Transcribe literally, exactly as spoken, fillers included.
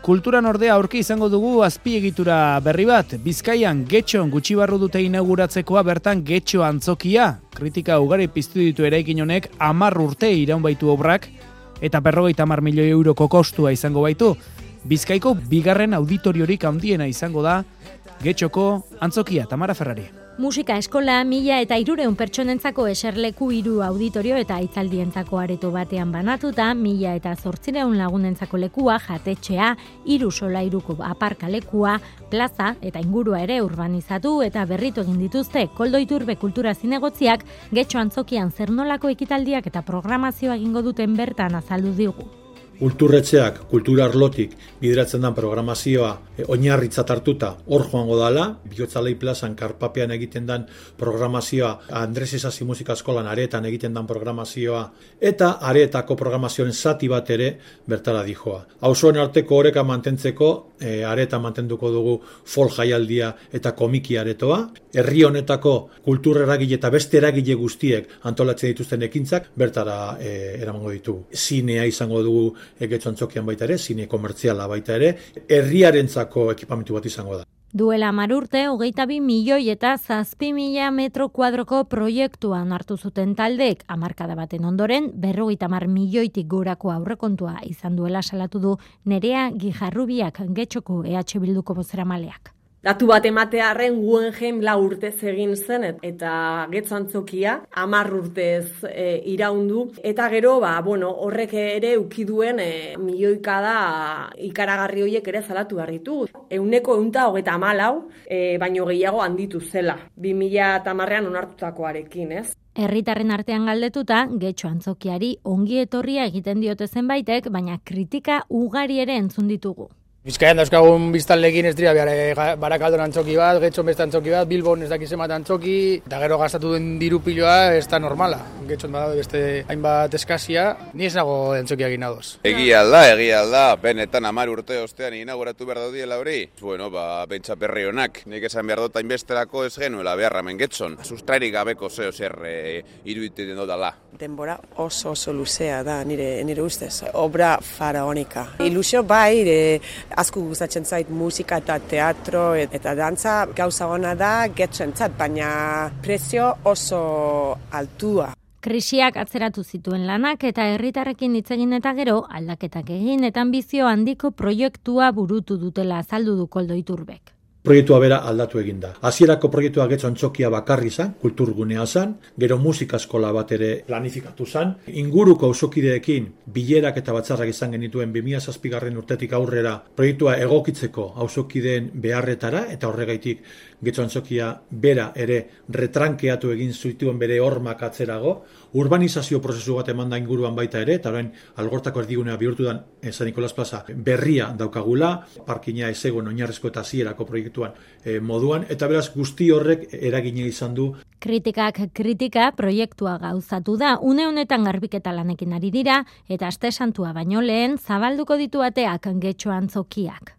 Kulturan ordea aurki izango dugu azpiegitura berri bat. Bizkaian Getxon gutxi barru dute inauguratzekoa bertan Getxo antzokia. Kritika ugari piztu ditu eraikin honek hamar urte iraun baitu obrak eta berrogeita hamar milioi euroko kostua izango baitu. Bizkaiko bigarren auditoriorik handiena izango da Getxoko antzokia. Tamara Ferrari. Musika eskola mila eta hirureun pertsonentzako eserleku hiru auditorio eta hitzaldientzako areto batean banatuta, mila eta zortzireun lagunentzako lekua, jatetxea, hiru solairuko aparkalekua, plaza eta ingurua ere urbanizatu eta berritu egin dituzte Koldo Iturbe kultura zinegotziak Getxo antzokian zer nolako ekitaldiak eta programazioa egingo duten bertan azaldu digu. Kulturretxeak, kultura arlotik bideratzen den programazioa e, oinarritzat hartuta hor joango dala, Bihotzalei plazan Karpapean egiten den programazioa, Andres Isasi Musika Eskolan areetan egiten den programazioa, eta areetako programazioen zati bat ere bertara dijoa. Auzoen arteko oreka mantentzeko, e, areetan mantenduko dugu folk jaialdia eta komiki aretoa, herri honetako kultur eragile eta beste eragile guztiek antolatzen dituzten ekintzak bertara e, eramango ditugu. Zinea izango dugu Getxo antzokian baita ere, zine komertziala baita ere, herriarentzako ekipamentu bat izango da. Duela hamar urte, hogeita bi milioi eta zazpi mila metro kuadroko proiektuan hartu zuten taldeek, hamarkada baten ondoren, berrogeita hamar milioitik gorako aurrekontua izan duela salatu du Nerea Gijarrubiak Getxoko E H Bilduko bozeramaleak. Datu bat ematearren Guggenheim lau urtez egin zen eta Getxo antzokia hamar urtez e, iraundu eta gero ba, bueno, horrek ere ukiduen e, milioikada ikaragarri horiek ere zalatu behar ditu. Euneko eunta hogeita hamalau e, baino gehiago handitu zela, bi mila hamarrean onartutakoarekin, ez? Herritarren artean galdetuta, Getxo antzokiari ongi etorria egiten diote zenbaitek, baina kritika ugari ere entzun ditugu. Bizkaian dauzkagun biztanleekin ez dira Barakaldon antzoki bat, Getxon beste antzoki bat, Bilbon ez dakiz emat antzoki, eta gero gastatu den diru piloa ez da normala. Getxon badago beste hainbat eskasia, ni ez nago antzokia egin adoz. Egia alda, egia alda, benetan hamar urte ostean inauguratu behar daudiela hori. Bueno, ba, pentsa perri honak, nik esan behar dut hainbesterako ez genuela beharra hemen Getxon. Sustrairik gabeko zeo zer e, iruditen dutala. Denbora oso oso luzea da nire, nire ustez, obra faraonika. Ilusio bai, e, asko gustatzen zait musika eta teatro eta dantza gauza ona da Getxoentzat, baina prezio oso altua. Krisiak atzeratu zituen lanak eta herritarrekin hitz egin eta gero aldaketak egin eta anbizio handiko proiektua burutu dutela azaldu du Koldo Iturbek. Proiektua bera aldatu egin da. Hasierako proiektua Getxo antzokia bakarri zan, kulturgunea zan, gero musika eskola bat ere planifikatu zan, inguruko auzokideekin bilerak eta batzarrak izan genituen bi mila zazpigarren urtetik aurrera proiektua egokitzeko auzokideen beharretara eta horregaitik Getxo antzokia bera ere retrankeatu egin zituen bere hormak atzerago, urbanizazio prozesu bat eman da inguruan baita ere, eta orain Algortako erdigunea bihurtu dan San Nicolas Plaza berria daukagula, parkina ez egon oinarrizko eta hasierako proiektuan e, moduan, eta beraz guzti horrek eragina izan du. Kritikak kritika proiektua gauzatu da, une honetan garbiketa lanekin ari dira, eta aste santua baino lehen zabalduko ditu ateak Getxo antzokiak.